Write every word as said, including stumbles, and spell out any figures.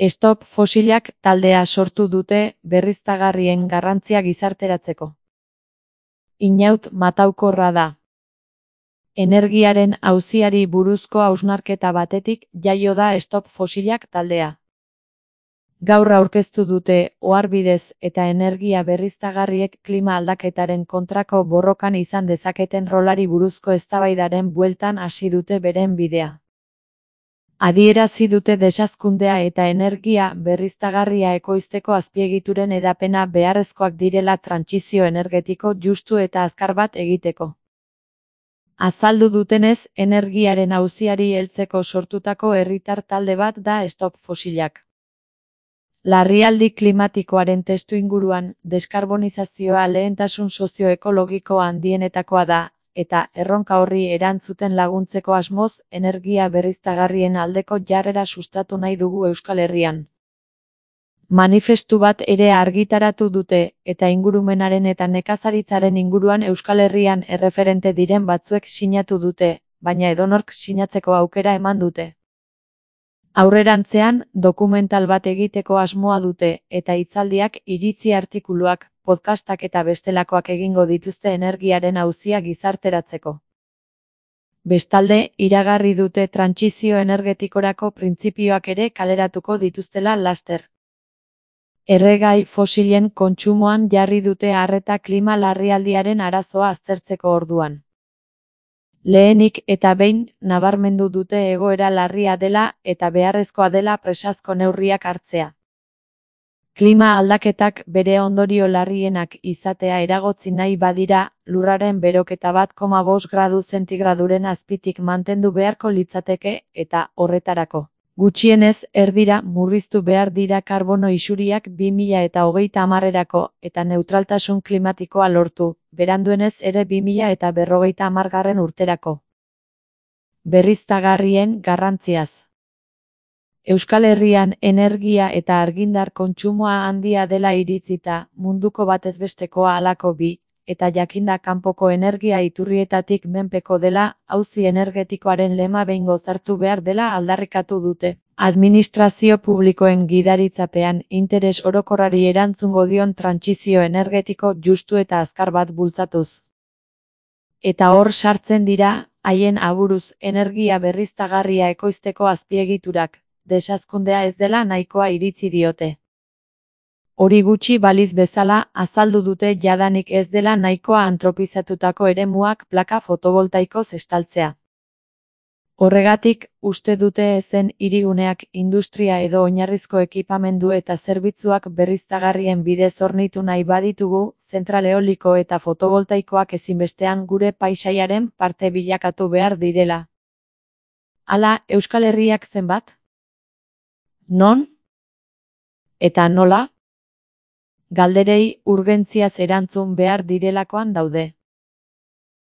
Stop Fosilak taldea sortu dute berriztagarrien garrantzia gizarteratzeko. Inaut mataukorra da. Energiaren auziari buruzko hausnarketa batetik jaio da Stop Fosilak taldea. Gaur aurkeztu dute oharbidez eta energia berriztagarriek klima aldaketaren kontrako borrokan izan dezaketen rolari buruzko eztabaidaren bueltan hasi dute beren bidea. Adierazi dute desazkundea eta energia berriztagarria ekoizteko azpiegituren hedapena beharrezkoak direla trantsizio energetiko justu eta azkar bat egiteko. Azaldu dutenez, energiaren auziari heltzeko sortutako herritar talde bat da Stop Fosilak. Larrialdi klimatikoaren testuinguruan, deskarbonizazioa lehentasun sozioekologiko handienetakoa da, eta erronka horri erantzuten laguntzeko asmoz, energia berriztagarrien aldeko jarrera sustatu nahi dugu Euskal Herrian. Manifestu bat ere argitaratu dute, eta ingurumenaren eta nekazaritzaren inguruan Euskal Herrian erreferente diren batzuek sinatu dute, baina edonork sinatzeko aukera eman dute. Aurrerantzean, dokumental bat egiteko asmoa dute, eta hitzaldiak, iritzi artikuluak, podcastak eta bestelakoak egingo dituzte energiaren auzia gizarteratzeko. Bestalde, iragarri dute trantsizio energetikorako printzipioak ere kaleratuko dituztela laster. Erregai fosilen kontsumoan jarri dute arreta klima larrialdiaren arazoa aztertzeko orduan. Lehenik eta behin, nabarmendu dute egoera larria dela eta beharrezkoa dela presazko neurriak hartzea. Klima aldaketak bere ondorio larrienak izatea eragotzi nahi badira, lurraren beroketa bat koma bost gradu zentigraduren azpitik mantendu beharko litzateke eta horretarako. Gutxienez erdira murriztu behar dira karbono isuriak bi mila eta hogeita hamarerako eta neutraltasun klimatikoa lortu, beranduenez ere bi mila eta berrogeita hamargarren urterako. Berriztagarrien garrantziaz. Euskal Herrian energia eta argindar kontsumoa handia dela iritzita, munduko batezbestekoa halako bi, eta jakinda kanpoko energia iturrietatik menpeko dela, auzi energetikoaren lema behingoz hartu behar dela aldarrikatu dute. Administrazio publikoen gidaritzapean interes orokorrari erantzungo dion trantsizio energetiko justu eta azkar bat bultzatuz. Eta hor sartzen dira, haien aburuz energia berriztagarria ekoizteko azpiegiturak, desazkundea ez dela nahikoa iritzi diote. Hori gutxi baliz bezala, azaldu dute jadanik ez dela nahikoa antropizatutako eremuak plaka fotovoltaikoz estaltzea. Horregatik, uste dute ezen hiriguneak industria edo oinarrizko ekipamendu eta zerbitzuak berriztagarrien bidez hornitu nahi baditugu, zentral eoliko eta fotovoltaikoak ezinbestean gure paisaiaren parte bilakatu behar direla. Hala, Euskal Herriak zenbat? Non? Eta nola? Galderei urgentziaz erantzun behar direlakoan daude.